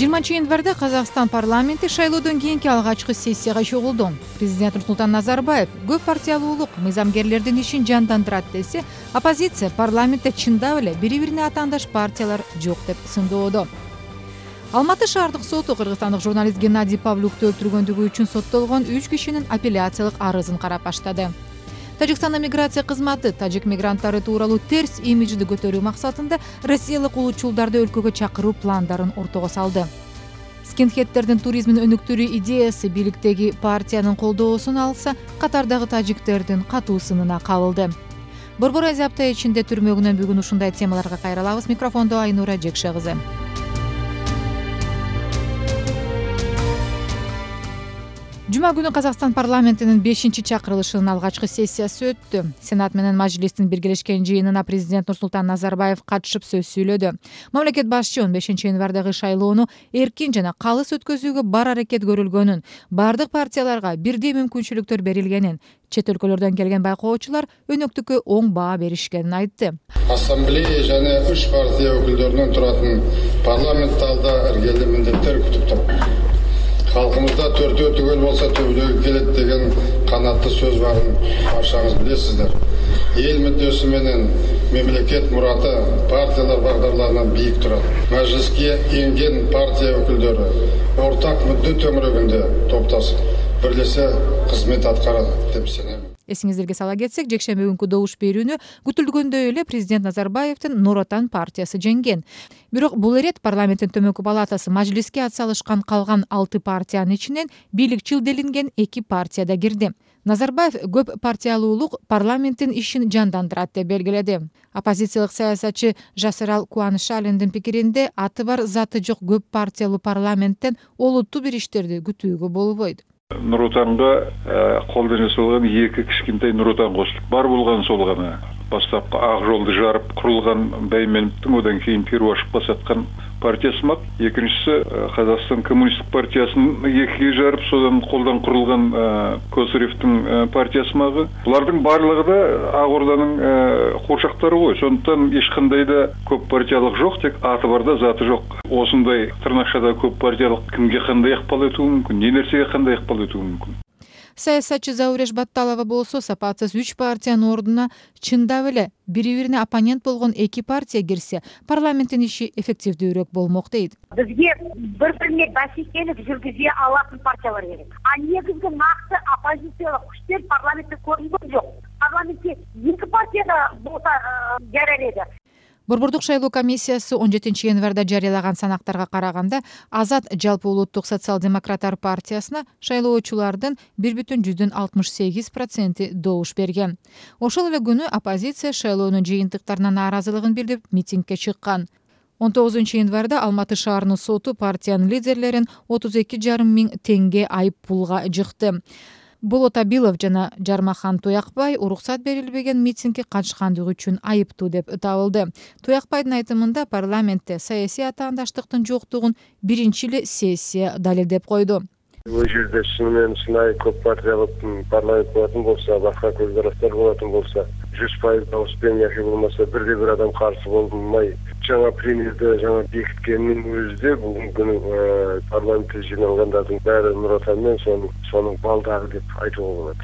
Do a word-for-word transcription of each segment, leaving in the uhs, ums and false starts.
жыйырманчы январда Казакстан парламенти шайлоодон кийинки алгачкы сессияга чогулду. Президент Нурсултан Назарбаев көп партиялуулук мыйзамгерлердин ишин жандандырат десе, оппозиция парламентте чындап эле бири-бирине атаандаш партиялар жок деп сындоодо. Алматы шаардык соту кыргызстандык журналист Геннадий Павлюкту өлтүргөндүгү үчүн соттолгон үч кишинин апелляциялык арызын карап баштады. Тажикстандын миграция кызматы тажик мигранттары тууралуу терс имиджди көтөрүү максатында россиялык улуучулдарды өлкөгө чакыруу пландарын ортого салды. Скинхедтердин туризмин өнүктүрүү идеясы бийликтеги партиянын колдоосун алса, катардагы тажиктердин катуу сынына кабылды. Борбор Азия апта ичинде түрмөгүнөн бүгүн ушундай темаларга кайрылабыз. Микрофондо Айнура Жекше кызы. Жума күнү Казакстан парламентинин бешинчи чакырылышынын алгачкы сессиясы өттү. Сенат менен Мажлистин биргелешкен жыйынына президент Нурсултан Назарбаев катышып сөз сүйлөдү. Мамлекет башчы он бешинчи январдагы шайлоону эркин жана калыс өткөзүүгө бар аракет көрүлгөнүн, бардык партияларга бирдей мүмкүнчүлүктөр берилгенин, чет өлкөлөрдөн келген байкоочулар өнөктүккө оң баа беришкенин айтты. Ассамблея жана үч партия өкүлдөрүнөн туратын парламент алда эргелүү милдеттер күтүп турат. Халкымызда төртөө түгөл болса төбөлөгү келет деген канаттуу сөз барын барчаңыз билесиздер. Эл мүддөсү менен мемлекет мураты партиялар багдарларынан бийик турат. Мажлиске энген партия өкүлдөрү ортак мүддө төңүрөгүндө топтошуп бирлесе кызмет аткарат деп сенем. Эсиңиздерге сала кетсек, жекшемби күнкү добуш берүүнү күтүлгөндөй эле президент Назарбаевдин Нур Отан партиясы жеңген. Бирок бул ирет парламенттин төмөнкү палатасы Мажлиске атсалышкан калган алты партиянын ичинен бийликчил делинген эки партия да кирди. Назарбаев көп партиялуулук парламенттин ишин жандандырат деп белгиледи. Оппозициялык саясатчы Жасырал Кубанышалиндин пикиринде аты бар заты жок көп партиялуу парламенттен олуттуу бир иштерди күтүүгө болбойт. Нур Отанга колдон жасалган эки кичкентай Нур Отан кошулуп бар болгон сол гана. Баштапкы ак жолду жарып курулган Баймановдун одан кийин первашып басаткан партиясымак. Экинчиси Казакстан коммунисттик партиясын экиге жарып содан колдон курулган Косаревдин партиясымагы. Булардын барлыгы да Ак Орданын курчактары го. Сондуктан эч кандай да көп партиялык жок, тек аты бар да заты жок. Осундай тырнакчада көп партиялык кимге кандай акпал этүү мүмкүн, не нерсеге кандай акпал этүү мүмкүн. Саясатчы Зауреш Батталова болсо сапатсыз үч партиянын ордуна чындап эле бири-бирине оппонент болгон эки партия кирсе, парламенттин иши эффективдүүрөөк болмок дейт. Бизге бири-бирине бәсекелик жүргүзө алатын партиялар керек. А негизги накты оппозициялык күчтөр парламентте көрүнгөн жок. Парламентте эки партия да болса жарар эди. Борбордук шайлоо комиссиясы он жетинчи январда жарыялаган санактарга караганда Азат жалпы улуттук социал-демократтар партиясына шайлоочулардын бир бүтүн жүздөн алтымыш сегиз проценти добуш берген. Ошол эле күнү оппозиция шайлоонун жыйынтыктарына нааразылыгын билдирип митингге чыккан. он тогузунчу январда Алматы шаарынын соту партиянын лидерлерин отуз эки жарым миң теңге айып пулга жыкты. Болот Абилов жана Жармахан Туякбай уруксат берилбеген митингге катышкандыгы үчүн айыптуу деп табылды. Туякбайдын айтымында парламентте саясий атаандаштыктын жоктугун биринчи эле сессия далилдеп койду. Бул жерде чынымен сынай көп партиялык парламент болатын болса, башка көз караштар болатын болса, жүз пайыз дауыспен яки болмаса бирде бир адам каршы болмай жаңа премьерди жаңа бекиткенин өзүдө бүгүнкү күнү парламентте жиналгандардын баары Нур Отан менен сонун сонун балдары деп айтууга болот.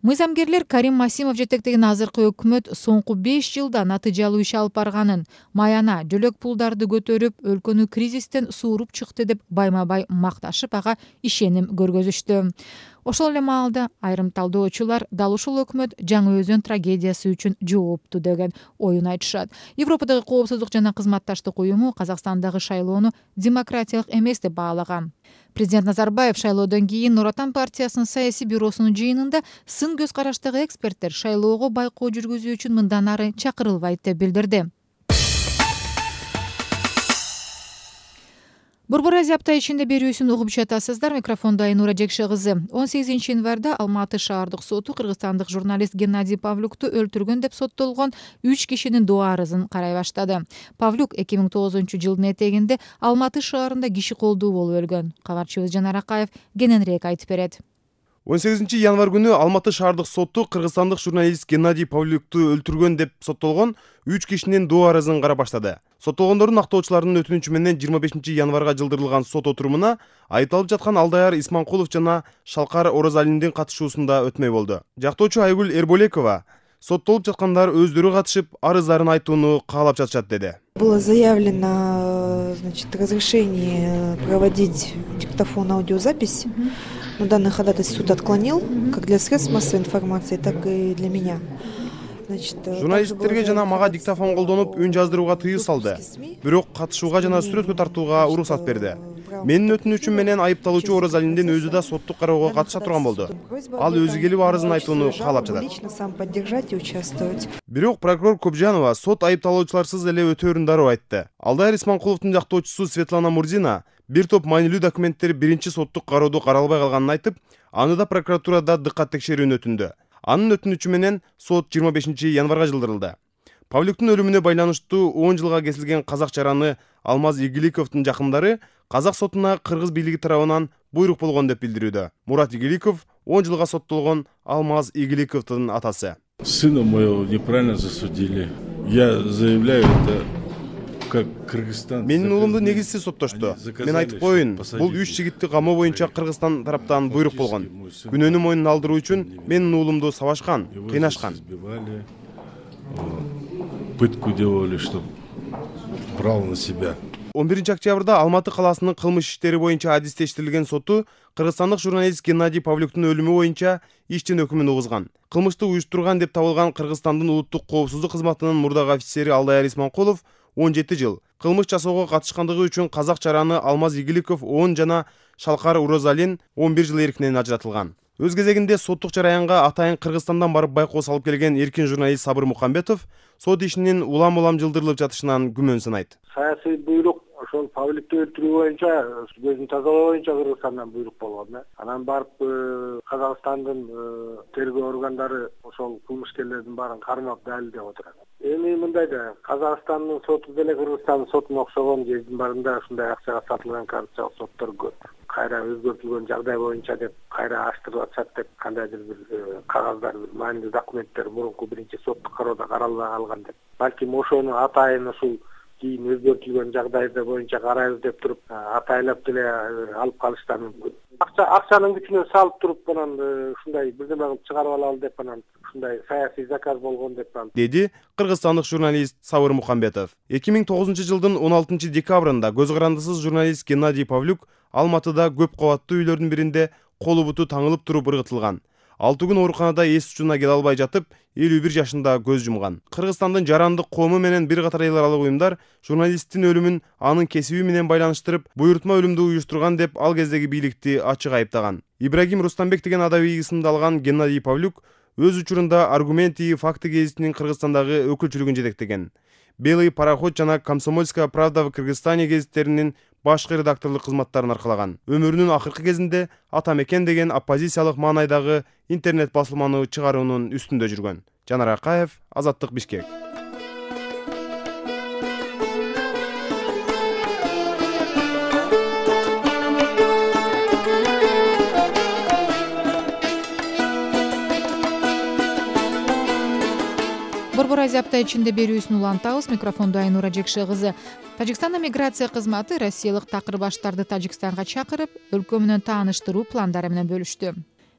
Мыйзамгерлер Карим Масимов жетектеген азыркы өкмөт соңку беш жылда натыйжалуу иш алып барганын, маяна жөлөк пулдарды көтөрүп, өлкөнү кризистен сууруп чыкты деп байма-бай макташып, ага ишеним көргөзүштү. Ошол эле маалда айрым талдоочулар дал ушул өкмөт Жаңы Өзөн трагедиясы үчүн жоопту деген оюн айтышат. Европадагы коопсуздук жана кызматташтык уюму Казакстандагы шайлоону демократиялык эмес деп баалаган. Президент Назарбаев шайлоодон кийин Нур Отан партиясынын саясий бюросунун жыйынында сын көз караштагы эксперттер шайлоого байкоо жүргүзүү үчүн мындан ары чакырылбайт деп билдирди. Борбор Азия апта ичинде берүүсүн угуп жатасыздар. Микрофондо Айнура Жекше кызы. он сегизинчи январда Алматы шаардык соту кыргызстандык журналист Геннадий Павлюкту өлтүргөн деп соттолгон үч кишинин доо арызын карай баштады. Павлюк эки миң тогузунчу жылдын этегинде Алматы шаарында киши колдуу болуп өлгөн. Кабарчыбыз Жанар Акаев кененирээк айтып берет. он сегизинчи январь күнү Алматы шаардык соту кыргызстандык журналист Геннадий Павлюкту өлтүргөн деп соттолгон үч кишинин доо арызын карап баштады. Соттолгондордун актоочуларынын өтүнүчү менен жыйырма бешинчи январга жылдырылган сот отурумуна айыпталып жаткан Алдаяр Исманкулов жана Шалкар Оразалиндин катышуусунда өтмөй болду. Жактоочу Айгүл Эрболекова соттолуп жаткандар өздөрү катышып, арыздарын айтууну каалап жатышат деди. Было заявлено, значит, разрешение проводить диктофон аудиозапись, но данный ходатайство суд отклонил, как для средств массовой информации, так и для меня. Журналисттерге жана мага диктофон колдонуп үн жаздырууга тыюу салды. Бирок катышууга жана сүрөткө тартууга уруксат берди. Менин өтүнүчүм менен айыпталуучу Оразалиндин өзү да соттук кароого катыша турган болду. Ал өзү келип арызын айтууну каалап жатат. Бирок прокурор Кобжанова сот айыпталуучуларсыз эле өтөөрүн дароо айтты. Алдаяр Исманкуловдун жактоочусу Светлана Мурзина бир топ маанилүү документтер биринчи соттук кароодо каралбай калганын айтып, аны да прокуратурада дыккат текшерүүнү өтүндү. Анын өтүнүчү менен сот жыйырма бешинчи январга жылдырылды. Павлюктун өлүмүнө байланыштуу он жылга кесилген казак жараны Алмаз Игиликовдун жакындары казак сотуна кыргыз бийлиги тарабынан буйрук болгон деп билдирүүдө. Мурат Игиликов он жылга соттолгон Алмаз Игиликовдун атасы. Сына моего неправильно засудили. Я заявляю это как Кыргызстан. Менин уулумду негизсиз соттошту. Мен айтып коеюн, бул үч жигитти камоо боюнча Кыргызстан тараптан буйрук болгон. Күнөөнү мойнуна алдыруу үчүн менин уулумду сабашкан, кыйнашкан. Пытку делали, чтоб брал на себя. он биринчи октябрда Алматы каласынын кылмыш иштери боюнча адистештирилген соту кыргызстандык журналист Геннадий Павлюктун өлүмү боюнча иштин өкүмүн угузган. Кылмышты уюштурган деп табылган Кыргызстандын улуттук коопсуздук кызматынын мурдагы офицери Алдаяр Исманкулов он жети жыл, кылмыш жасоого катышкандыгы үчүн казак жараны Алмаз Игиликов он жана Шалкар Оразалин он бир жыл эркинен ажыратылган. Өз кезегинде соттук жараянга атайын Кыргызстандан барып байкоо салып келген эркин журналист Сабыр Мухамбетов сот ишинин улам-улам жылдырылып жатышынан күмөн санайт. Саясий буйрук ошол Павлюкту өлтүрүү боюнча, көзүн тазалоо боюнча Кыргызстандан буйрук болгон да. Анан барып Казакстандын тергөө органдары ошол кылмышкерлердин баарын кармап далилдеп отурат. Эми мындай да, Казакстандын соту деле Кыргызстандын сотуна окшогон жердин баарында ушундай акчага сатылган коррупциялык соттор көп. Кайра өзгөртүлгөн жагдай боюнча деп, кайра аштырып атышат деп, кандайдыр бир кагаздар, маанилүү документтер мурунку биринчи соттук кароодо каралбай калган деп. Балким ошону атайын ушул кийин өзгөртүлгөн жагдайда боюнча карайбыз деп туруп, атайлап деле алып калыштары мүмкүн. Акча акчанын күчүнө салып туруп анан ушундай бирдеме кылып чыгарып алалы деп анан ушундай саясий заказ болгон деп деди кыргызстандык журналист Сабыр Мухамбетов. эки миң тогузунчу жылдын он алтынчы декабрында көз карандысыз журналист Геннадий Павлюк Алматыда көп кабаттуу үйлөрдүн биринде колу буту таңылып туруп ыргытылган. алты күн ооруканада эс учуна келе албай жатып, элүү бир жашында көз жумган. Кыргызстандын жарандык коому менен бир катар эл аралык уюмдар журналисттин өлүмүн анын кесиби менен байланыштырып, буйрутма өлүмдү уюштурган деп ал кездеги бийликти ачык айыптаган. Ибрагим Рустамбек деген адабий ысымды алган Геннадий Павлюк өз учурунда Аргументи факты гезитинин Кыргызстандагы өкүлчүлүгүн жетектеген. Белый пароход жана Комсомольская правда в Кыргызстане гезиттеринин башкы редакторлук кызматтарын аркалаган. Өмүрүнүн акыркы кезинде Ата мекен деген оппозициялык маанайдагы интернет басылманы чыгаруунун үстүндө жүргөн. Жанар Акаев, Азаттык, Бишкек. Борбор Азия апта ичинде берүүсүн улантабыз. Микрофондо Айнура Жекше кызы. Тажикстандын миграция кызматы россиялык такыр баштарды Тажикстанга чакырып, өлкө менен тааныштыруу пландары менен бөлүштү.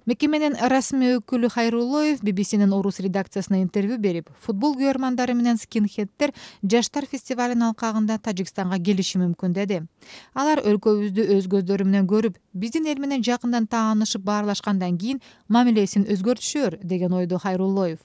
Мекеменин расмий өкүлү Хайруллоев би би синин орус редакциясына интервью берип, футбол күйөрмандары менен скинхеддер жаштар фестивалынын алкагында Тажикстанга келиши мүмкүн деди. Алар өлкөбүздү өз көздөрү менен көрүп, биздин эл менен жакындан таанышып баарлашкандан кийин мамилесин өзгөртүшөр деген ойдо Хайруллоев.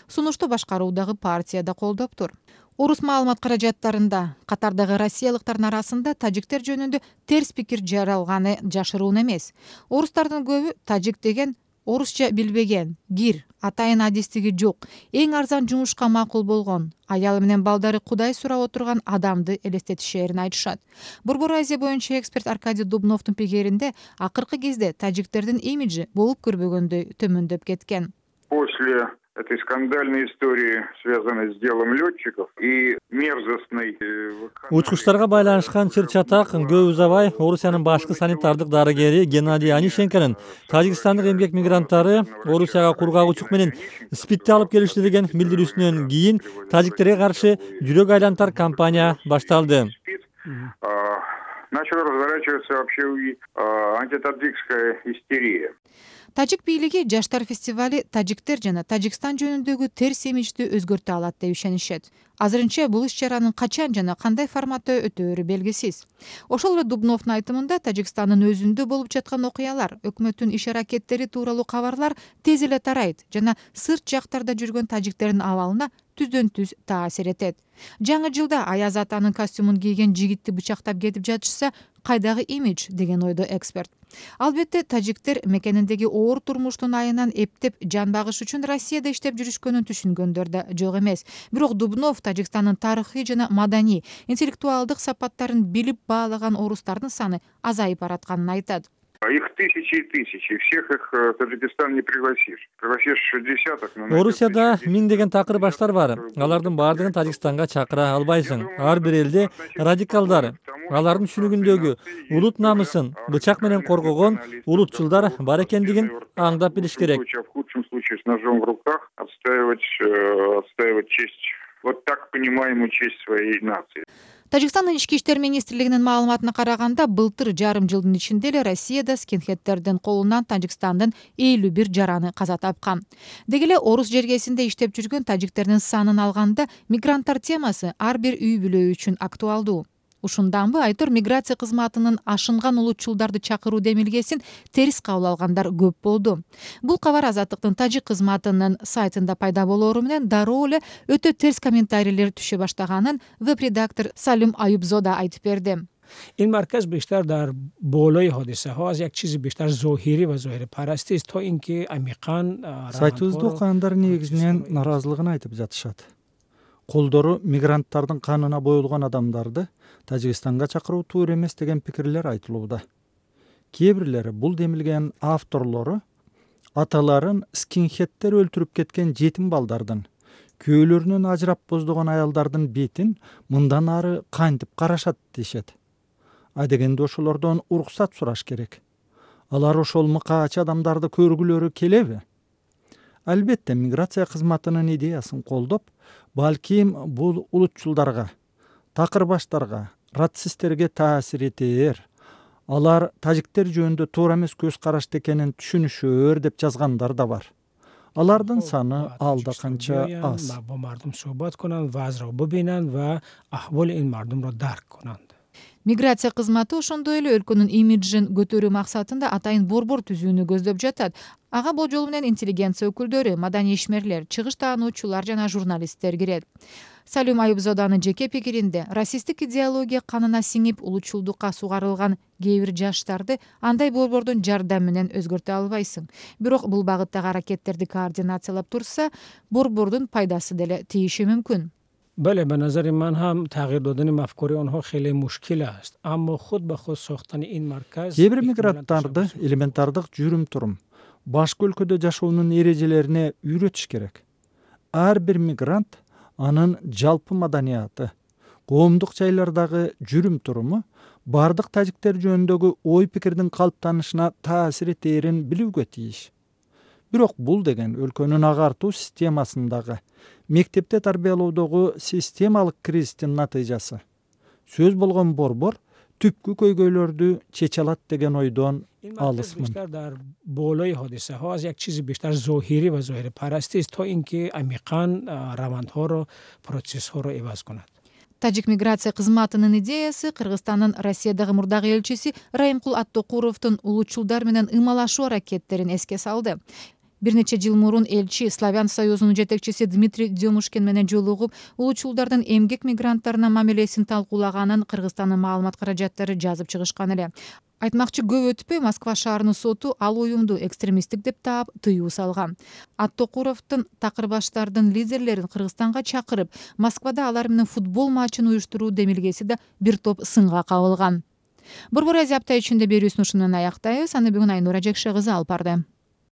Сунушту башкаруудагы партия да колдоптур. Орус маалымат каражаттарында катардагы россиялыктардын арасында тажиктер жөнүндө терс пикир жаралганы жашыруун эмес. Орустардын көбү тажик деген орусча билбеген, кир, атайын адистиги жок, эң арзан жумушка макул болгон, аялы менен балдары кудай сурап отурган адамды элестетишээрин айтышат. Борбор Азия боюнча эксперт Аркадий Дубновдун пикиринде акыркы кезде тажиктердин имиджи болуп көрбөгөндөй төмөндөп кеткен. После этой скандальной истории, связанной с делом летчиков и мерзостной... Учкучтарга байланышкан чыр-чатак көп узабай Орусиянын башкы санитардык дарыгери Геннадий Онищенконун Тажикстандык эмгек мигранттары Орусияга кургак учук менен спидти алып келишти деген билдирүүсүнөн кийин тажиктерге каршы жүрөк айлантар кампания башталды. Начала разворачиваться вообще антитаджикская истерия. Тажик бийлиги Жаштар фестивали тажиктер жана Тажикстан жөнүндөгү терс имижди өзгөртө алат деп ишенишет. Азырынча бул иш-чаранын качан жана кандай форматта өтөөрү белгисиз. Ошол эле Дубновдун айтымында Тажикстандын өзүндө болуп жаткан окуялар, өкмөттүн иш-аракеттери тууралуу кабарлар тез эле тарайт жана сырт жактарда жүргөн тажиктердин абалына түздөн түз таасир этет. Жаңы жылда Аяз атанын костюмун кийген жигитти бычактап кетип жатышса, кайдагы имидж деген ойдо эксперт. Албетте тажиктер мекениндеги оор турмуштун айынан эптеп жан багыш үчүн Россияда иштеп жүрүшкөнүн түшүнгөндөр да жок эмес. Бирок Дубнов Тажикстандын тарыхый жана маданий, интеллектуалдык сапаттарын билип баалаган орустардын саны азайып баратканын айтат. Их тысячи и тысячи, всех их Таджикистан не пригласишь. Пригласишь десяток. Орусияда миңдеген такыр баштар бар. Алардын баардыгын Тажикстанга чакыра албайсың. Ар бир элде радикалдар, алардын түшүнүгүндөгү улут намысын бычак менен коргогон улутчулдар бар экендигин аңдап билиш керек. В худшем случае с ножом в руках отстаивать, отстаивать честь, вот так понимаемую честь своей нации. Тажикстандын ички иштер министрлигинин маалыматына караганда, былтыр жарым жылдын ичинде эле Россияда скинхеддердин колунан Тажикстандын элүү бир жараны каза тапкан. Деги эле орус жергесинде иштеп жүргөн тажиктердин санын алганда, мигранттар темасы ар бир үй бүлө үчүн актуалдуу. Ушунданбы Айтор миграция кызматынын ашынган улутчулдарды чакыруу демилгесин терс кабыл алгандар көп болду. Бул кабар Азаттыктын тажик кызматынын сайтында пайда болоору менен дароо эле өтө терс комментарийлер түшө баштаганын веб-редактор Салим Аюбзода айтып берди. این مرکز بیشتر در بالای حادثه ها از یک چیز بیشتر ظاهری و ظاهر پرستی است تا اینکه عمیقاً Сайтыбызды окугандар негизинен наразылыгын айтып жатышат. Колдору мигранттардын канына боюлган адамдарды Тажикстанга чакыруу туура эмес деген пикирлер айтылууда. Кээ бирлери бул демилген авторлору аталарын скинхеддер өлтүрүп кеткен жетим балдардын, күйөөлөрүнөн ажырап боздогон аялдардын бетин мындан ары кантип карашат дешет. Адегенде ошолордон уруксат сураш керек. Алар ошол мыкаач адамдарды көргүлөрү келеби? Албетте миграция кызматынын идеясын колдоп, балким бул улутчулдарга, такыр баштарга, рацисттерге таасир этер. Алар тажиктер жөнүндө туура эмес көз карашты экенин түшүнүшөр деп жазгандар да бар. Алардын саны алда канча аз. با مردم صحبت کنند و وضع را ببینند و احوال این مردم را درک کنند. Миграция кызматы ошондой эле өлкөнүн имиджин көтөрүү максатында атайын борбор түзүүнү көздөп жатат. Ага болжол менен интеллигенция өкүлдөрү, маданий ишмерлер, чыгыш таануучулар жана журналисттер кирет. Салим Аюбзоданын жеке пикиринде, расисттик идеология канына сиңип улутчулдукка сугарылган кээ бир жаштарды андай борбордун жардамы менен өзгөртө албайсың. Бирок бул багыттагы аракеттерди координациялап турса, борбордун пайдасы деле тийиши мүмкүн. بله به نظر من هم تغییر دادن مفکوری آنها خیلی مشکل است اما خود به خود ساختن این مرکز Кээ бир мигранттарды элементардык жүрүм турум башка өлкөдө жашоонун эрежелерине үйрөтүш керек. Ар бир мигрант анын жалпы маданияты, коомдук жайлардагы жүрүм туруму бардык тажиктер жөнүндөгү ой пикирдин калыптанышына таасир этерин билүүгө тийиш. Бирок бул деген өлкөнүн агартуу системасындагы, мектепте тарбиялоодогу системалык кризистин натыйжасы. Сөз болгон борбор түпкү көйгөйлөрдү чече алат деген ойдон алысмын. در بالای حادثه ها از یک چیز بیشتر ظاهری و ظاهر پرستی است تا اینکه عمیقاً روندها رو پروسس ها رو عوض کند. Тажик миграция кызматынын идеясы Кыргызстандын Россиядагы мурдагы элчиси Райымкул Аттокуровдун улутчулдар менен ымалашуу аракеттерин эске салды. Бир нече жыл мурун элчи Славян союзунун жетекчиси Дмитрий Демушкин менен жолугуп, улутчулдардын эмгек мигранттарына мамилесин талкуулаганын Кыргызстандын маалымат каражаттары жазып чыгышкан эле. Айтмакчы, көп өтпөй Москва шаарынын соту ал уюмду экстремисттик деп таап тыюу салган. Аттокуровдун такырбаштардын лидерлерин Кыргызстанга чакырып, Москвада алар менен футбол матчын уюштуруу демилгеси да бир топ сынга кабылган. Борбор Азия апта ичинде берүүсүн ушуну менен аяктайбыз. Аны бүгүн Айнура Жекше кызы алып барды.